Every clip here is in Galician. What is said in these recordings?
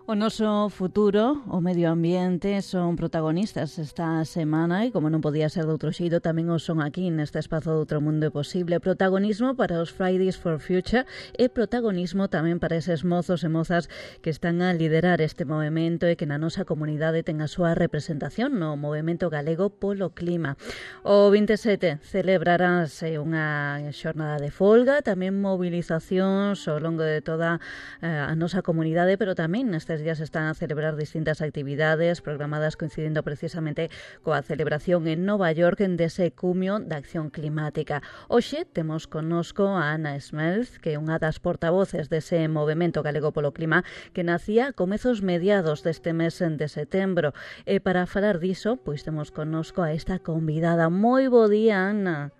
O noso futuro, o medio ambiente, son protagonistas esta semana e, como non podía ser de outro xeito, tamén o son aquí neste espazo de Outro Mundo é Posible. Protagonismo para os Fridays for Future e protagonismo tamén para eses mozos e mozas que están a liderar este movemento e que na nosa comunidade ten a súa representación no movemento galego polo clima. O 27 celebrarase unha xornada de folga, tamén movilizacións ao longo de toda a nosa comunidade, pero tamén nestes días están a celebrar distintas actividades programadas coincidindo precisamente coa celebración en Nova York dese cumio da acción climática. Hoxe temos connosco a Ana Smelth, que é unha das portavoces dese movemento galego polo clima que nacía a comezos mediados deste mes de setembro. E para falar diso, pois temos connosco a esta convidada. Moi bo día, Ana.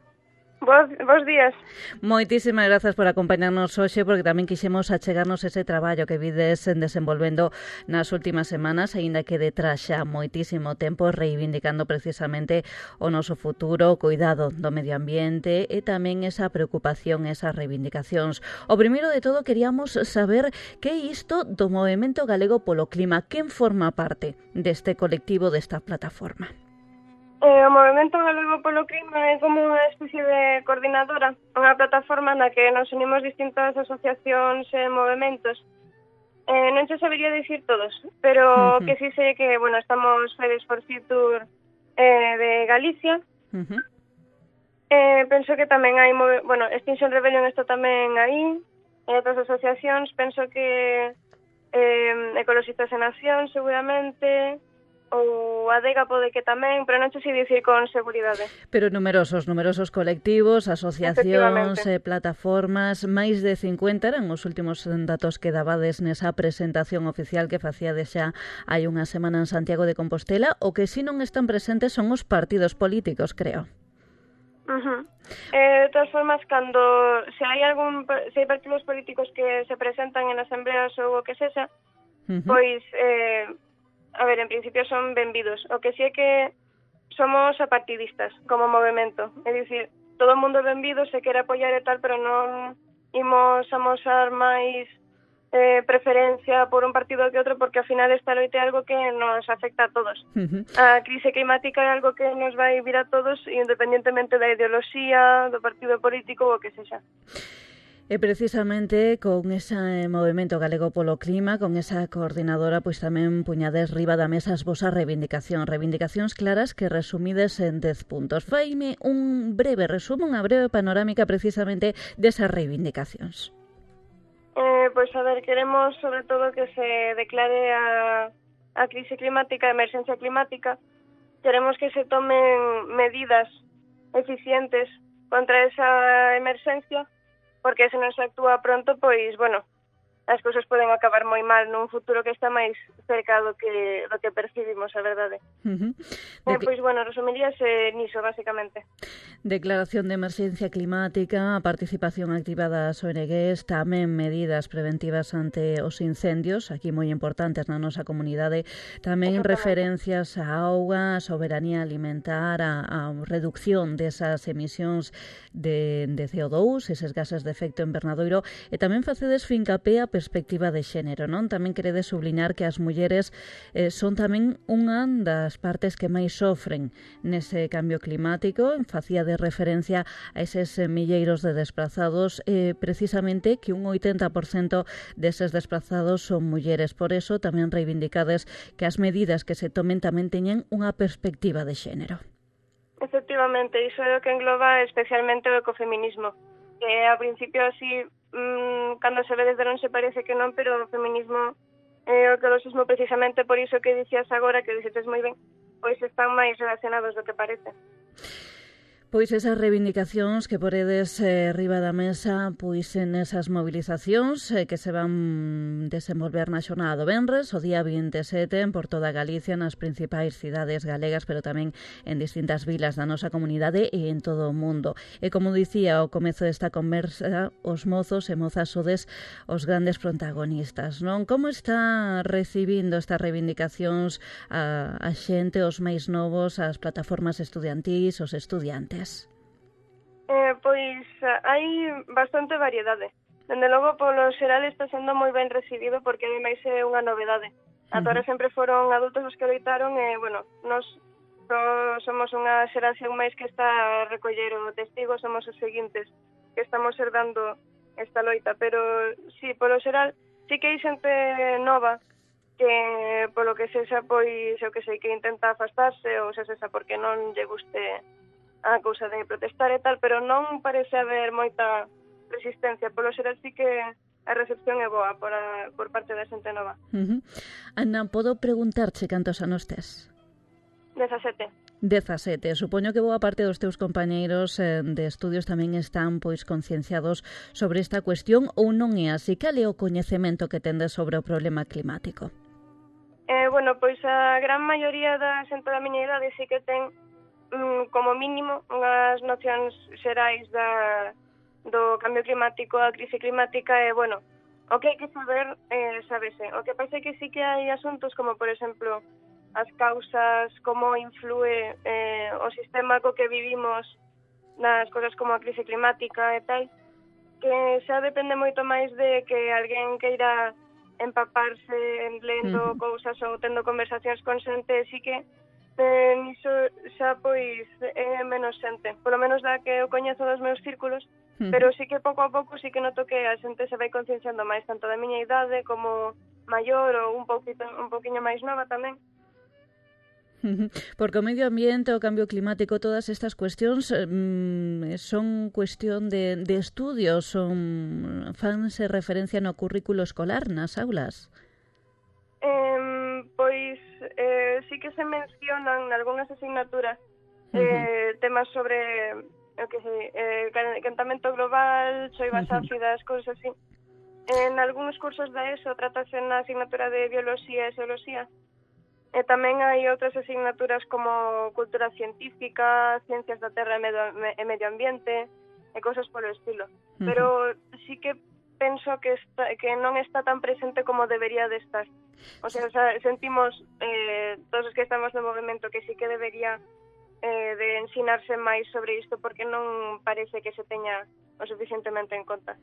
Bos días. Moitísimas grazas por acompañarnos hoxe, porque tamén quixemos achegarnos ese traballo que vides desenvolvendo nas últimas semanas, aínda que detrás xa moitísimo tempo reivindicando precisamente o noso futuro, o cuidado do medio ambiente e tamén esa preocupación, esas reivindicacións. O primeiro de todo, queríamos saber que é isto do Movemento Galego polo Clima. Quen forma parte deste colectivo, desta plataforma? O Movemento Galego polo Clima é como unha especie de coordinadora, unha plataforma na que nos unimos distintas asociacións e movementos. Non se sabería dicir todos, pero que sí sei que, bueno, estamos Fridays for Future de Galicia. Penso que tamén hai, Extinction Rebellion está tamén aí, e outras asociacións, penso que Ecologistas en Acción, seguramente, ou a Adega pode que tamén, pero non sei dicir con seguridade. Pero numerosos colectivos, asociacións, plataformas, máis de 50 eran os últimos datos que dabades nesa presentación oficial que facíades xa hai unha semana en Santiago de Compostela. O que si non están presentes son os partidos políticos, creo. De todas formas, cando se hai partidos políticos que se presentan en asambleas ou o que sexa, pois en principio son benvidos. O que sí é que somos apartidistas como movemento. É dicir, todo o mundo é benvido, se quere apoiar e tal, pero non imos amosar máis preferencia por un partido que outro, porque ao final esta loita é algo que nos afecta a todos. A crise climática é algo que nos vai vir a todos, independentemente da ideoloxía, do partido político ou o que sexa. E precisamente con ese movemento galego polo clima, con esa coordinadora, pois tamén puñades riba da mesa as vosas reivindicacións claras que resumides en 10 puntos. Faime un breve resumo, unha breve panorámica precisamente desas reivindicacións. Pois queremos sobre todo que se declare a crise climática, a emerxencia climática. Queremos que se tomen medidas eficientes contra esa emerxencia, porque se non se actúa pronto, pois, as cousas poden acabar moi mal nun futuro que está máis cerca do que percibimos, a verdade. Pois, resumiríase niso, basicamente. Declaración de emerxencia climática, a participación activa das ONGs, tamén medidas preventivas ante os incendios, aquí moi importantes na nosa comunidade, tamén referencias á auga, a soberanía alimentar, a reducción desas emisións de CO2, eses gases de efecto invernadoiro, e tamén facedes fincapé a perspectiva de xénero, non? Tamén queredes subliñar que as mulleres son tamén unha das partes que máis sofren nese cambio climático. Facía de referencia a eses milleiros de desplazados, precisamente que un 80% deses desplazados son mulleres. Por eso tamén reivindicades que as medidas que se tomen tamén teñen unha perspectiva de xénero. Efectivamente, iso é o que engloba especialmente o ecofeminismo, que a principio así, cando se ve desde non se parece que non, pero o feminismo e o ecoloxismo, precisamente por iso que dicías agora, que dices moi ben, pois están máis relacionados do que parece. Pois esas reivindicacións que poredes riba da mesa, pois en esas movilizacións que se van desenvolver na xornada do venres, o día 27, por toda Galicia, nas principais cidades galegas, pero tamén en distintas vilas da nosa comunidade e en todo o mundo. E como dicía ao comezo desta conversa, os mozos e mozas sodes os grandes protagonistas, non? Como está recibindo estas reivindicacións a xente, os máis novos, as plataformas estudiantís, os estudiantes? Pois hai bastante variedade. Dende logo, polo xeral está sendo moi ben recibido porque ademais é unha novedade. Ata ahora sempre foron adultos os que loitaron e, bueno, nos somos unha xeración máis que está a recoller o testigo, somos os seguintes que estamos herdando esta loita, pero sí, polo xeral, sí que hai xente nova que, polo que sexa, pois, eu que sei, que intenta afastarse ou se sexa porque non lle guste a cousa de protestar e tal, pero non parece haber moita resistencia. Polo xeral sí que a recepción é boa por parte da xente nova. Ana, podo preguntarche cantos anos tes? 17. 17. Supoño que boa parte dos teus compañeiros de estudios tamén están pois concienciados sobre esta cuestión ou non é así? Cal é o coñecemento que tendes sobre o problema climático? Bueno, pois a gran maioría da xente da miña idade sí que ten como mínimo unhas nocións xerais do cambio climático, a crise climática e, bueno, o que hai que saber, sábese. O que pasa é que sí que hai asuntos como, por exemplo, as causas, como influe o sistema co que vivimos nas cosas como a crise climática e tal, que xa depende moito máis de que alguén queira empaparse lendo cousas ou tendo conversacións con xente, sí que niso xa pois é menos xente, polo menos da que eu coñezo dos meus círculos, pero sí que pouco a pouco sí que noto que a xente se vai concienciando máis, tanto da miña idade como maior ou un poquinho máis nova tamén. Porque o medio ambiente, o cambio climático, todas estas cuestións son cuestión de estudios, fanse referencia no currículo escolar nas aulas? Pois sí que se mencionan algunhas asignaturas temas sobre o que sei, quentamento global, choivas ácidas, cousas así. En algúns cursos da ESO tratase na asignatura de bioloxía e xeoloxía. E tamén hai outras asignaturas como cultura científica, ciencias da terra e medio ambiente e cousas polo estilo. Pero sí que penso que non está tan presente como debería de estar. O sea, sentimos todos os que estamos no movimento que sí que debería de ensinarse máis sobre isto porque non parece que se teña o suficientemente en conta.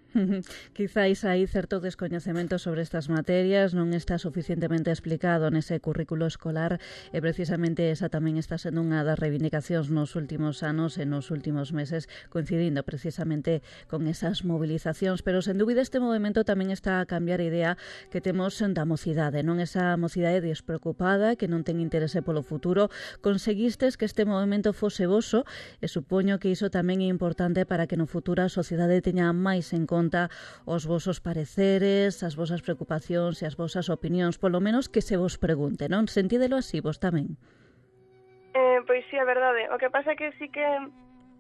Quizáis hai certo descoñecemento sobre estas materias, non está suficientemente explicado nese currículo escolar e precisamente esa tamén está sendo unha das reivindicacións nos últimos anos e nos últimos meses, coincidindo precisamente con esas movilizacións, pero sen dúbida este movimento tamén está a cambiar a idea que temos da mocidade, non esa mocidade despreocupada que non ten interese polo futuro. Conseguistes que este movimento fose voso e supoño que iso tamén é importante para que no futuro a sociedade teña máis en conta os vosos pareceres, as vosas preocupacións e as vosas opinións, polo menos que se vos pregunte, non? Sentídelo así vos tamén? Pois sí, é verdade. O que pasa é que sí que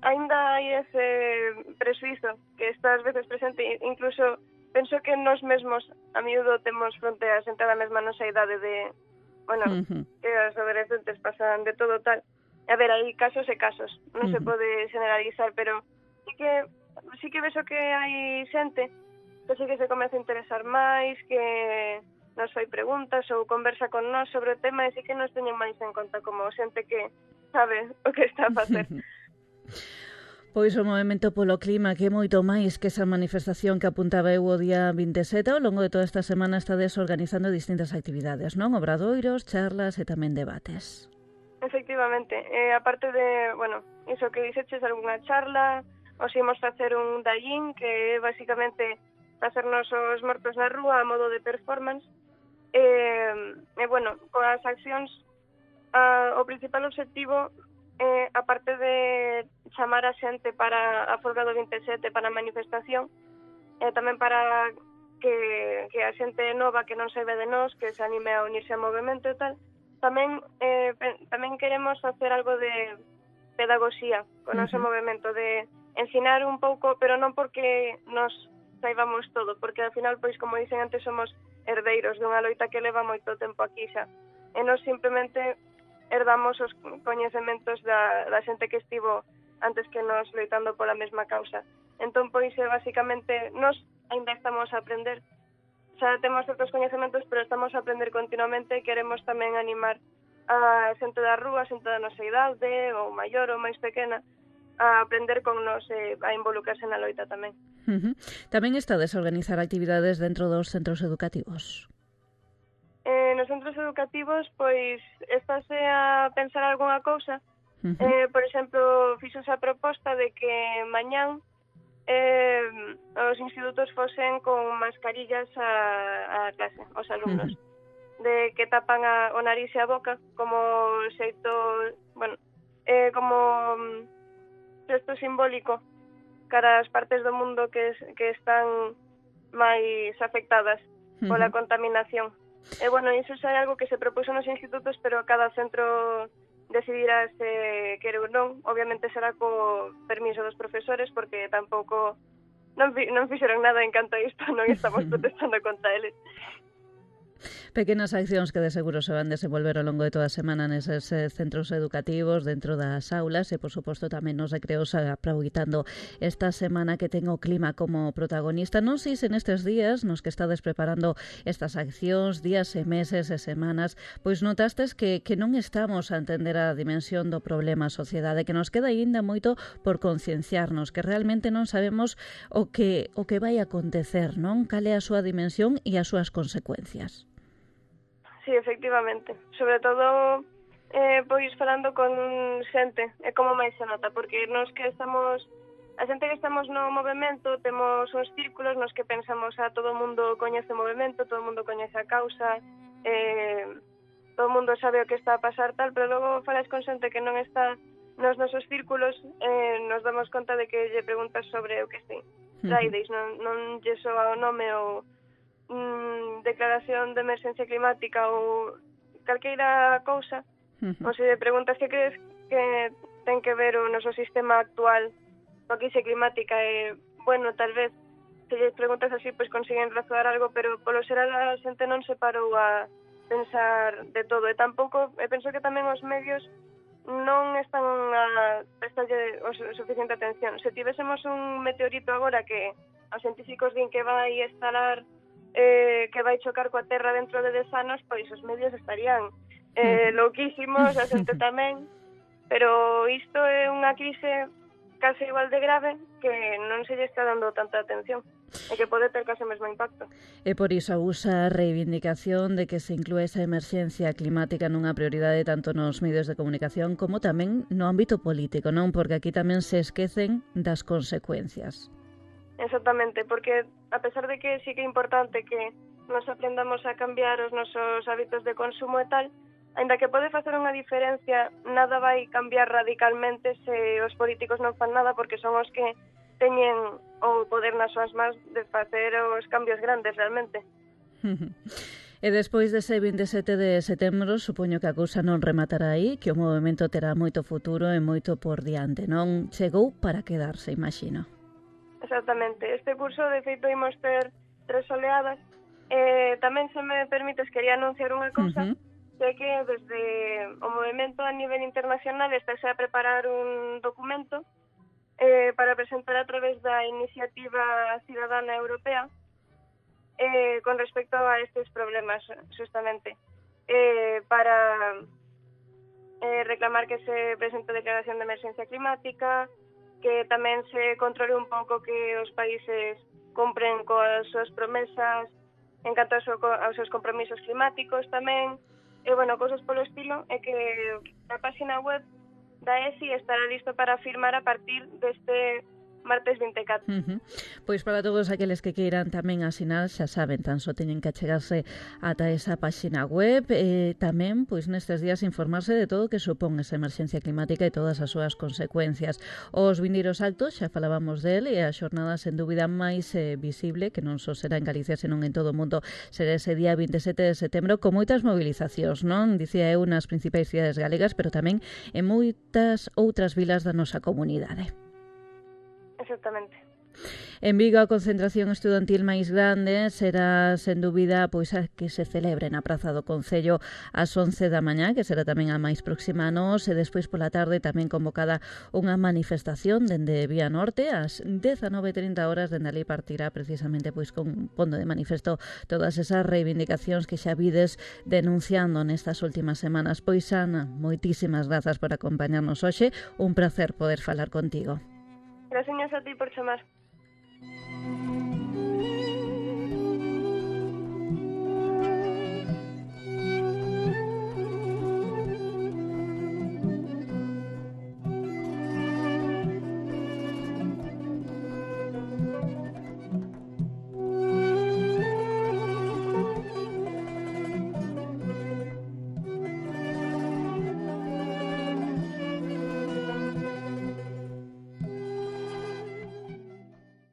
aínda hai ese presuizo que está ás veces presente, incluso penso que nos mesmos a miúdo temos fronte a xente da mesma nosa idade de, bueno, que os adolescentes pasan de todo tal. A ver, hai casos e casos, non se pode generalizar, pero sí que vexo que hai xente que sí que se comeza a interesar máis, que nos fai preguntas ou conversa con nós sobre o tema e sí que nos teñen máis en conta como xente que sabe o que está a facer. Pois o movemento polo clima que é moito máis que esa manifestación que apuntaba eu o día 27, ao longo de toda esta semana estades organizando distintas actividades, non? Obradoiros, charlas e tamén debates. Efectivamente, aparte de, bueno, iso que dixeches, algunha charla, os imos facer un dallín que é basicamente facernos os mortos na rúa a modo de performance e bueno, coas accións o principal objetivo aparte de chamar a xente para a folga do 27 para a manifestación tamén para que a xente nova que non saiba de nós que se anime a unirse ao movimento e tal tamén queremos facer algo de pedagogía con o noso movimento de ensinar un pouco, pero non porque nos saibamos todo, porque ao final, pois, como dicen antes, somos herdeiros dunha loita que leva moito tempo aquí xa. E nos simplemente herdamos os coñecementos da xente que estivo antes que nos loitando pola mesma causa. Entón, pois, basicamente, nos ainda estamos a aprender. Xa temos certos coñecementos, pero estamos a aprender continuamente e queremos tamén animar a xente da rúa, a xente da nosa idade, ou maior ou máis pequena, a aprender con nos e a involucrarse na loita tamén. Tamén estades a organizar actividades dentro dos centros educativos? Nos centros educativos, pois, estáse a pensar algunha cousa. Por exemplo, fixose a proposta de que mañán os institutos fosen con mascarillas a clase, os alumnos. De que tapan o nariz e a boca como xeito, bueno, como xesto simbólico cara ás partes do mundo que están máis afectadas pola contaminación. E, bueno, iso xa é algo que se propuso nos institutos, pero cada centro decidirá se quere ou non. Obviamente será co permiso dos profesores, porque tampouco non fixeron nada en canto a isto, non estamos protestando contra eles. Pequenas accións que de seguro se van desenvolver ao longo de toda a semana neses centros educativos, dentro das aulas e, por suposto, tamén nos recreos, aproveitando esta semana que ten o clima como protagonista. Non sei se nestes días nos que estades preparando estas accións, días e meses e semanas, pois notastes que non estamos a entender a dimensión do problema a sociedade, que nos queda aínda moito por concienciarnos, que realmente non sabemos o que vai acontecer, non? Cal é a súa dimensión e as súas consecuencias. Sí, efectivamente. Sobre todo, pois falando con xente, é como máis se nota, porque nos que estamos, a xente que estamos no movemento, temos uns círculos nos que pensamos todo o mundo coñece o movemento, todo o mundo coñece a causa, todo o mundo sabe o que está a pasar tal, pero logo falas con xente que non está nos nosos círculos, nos damos conta de que lle preguntas sobre o que sei, Fridays, non lle soa o nome ou declaración de emerxencia climática ou calqueira cousa, ou se preguntas que crees que ten que ver o noso sistema actual coa crise climática, bueno, tal vez se lles preguntas así, pois consiguen razoar algo, pero polo xeral a xente non se parou a pensar de todo, e tampouco, penso que tamén os medios non están a prestarlle o suficiente atención. Se tivésemos un meteorito agora que os científicos din que vai estalar, que vai chocar coa Terra dentro de 10 anos, pois os medios estarían louquísimos, a xente tamén, pero isto é unha crise case igual de grave que non se lle está dando tanta atención e que pode ter case o mesmo impacto. E por iso usa a reivindicación de que se inclúe esa emerxencia climática nunha prioridade tanto nos medios de comunicación como tamén no ámbito político, non? Porque aquí tamén se esquecen das consecuencias. Exactamente, porque a pesar de que sí que é importante que nos aprendamos a cambiar os nosos hábitos de consumo e tal, aínda que pode facer unha diferencia, nada vai cambiar radicalmente se os políticos non fan nada, porque son os que teñen o poder nas súas mans de facer os cambios grandes realmente. E despois dese 27 de setembro, supoño que a cousa non rematará aí, que o movemento terá moito futuro e moito por diante, non? Chegou para quedarse, imagino. Exactamente. Este curso, de feito, imos ter 3 oleadas. Tamén, se me permites, quería anunciar unha cousa, que desde o movemento a nivel internacional estáse a preparar un documento para presentar a través da Iniciativa Cidadana Europea con respecto a estes problemas, justamente, para reclamar que se presente a declaración de emerxencia climática, que tamén se controle un pouco que os países cumpren coas súas promesas en canto aos seus compromisos climáticos tamén, e, bueno, cousas polo estilo, é que a página web da ESI estará listo para firmar a partir deste martes 24. Pois para todos aqueles que queiran tamén asinar, xa saben, tan só teñen que achegarse ata esa páxina web e tamén, pois nestes días, informarse de todo o que supón esa emerxencia climática e todas as súas consecuencias. Os vindeiros actos, xa falábamos del, e a xornada sen dúbida máis visible, que non só será en Galicia, senón en todo o mundo, será ese día 27 de setembro, con moitas movilizacións, non? Dicía eu, nas principais cidades galegas, pero tamén en moitas outras vilas da nosa comunidade. Exactamente. En Vigo a concentración estudantil máis grande será, sen dúbida, pois a que se celebre na Praza do Concello ás 11 da mañá, que será tamén a máis próxima a nós, e despois pola tarde tamén convocada unha manifestación dende Vía Norte ás 19:30 horas, dende ali partirá precisamente pois con pondo de manifesto todas esas reivindicacións que xa vides denunciando nestas últimas semanas. Pois, Ana, moitísimas grazas por acompañarnos hoxe, un placer poder falar contigo. Gracias a ti por chamar.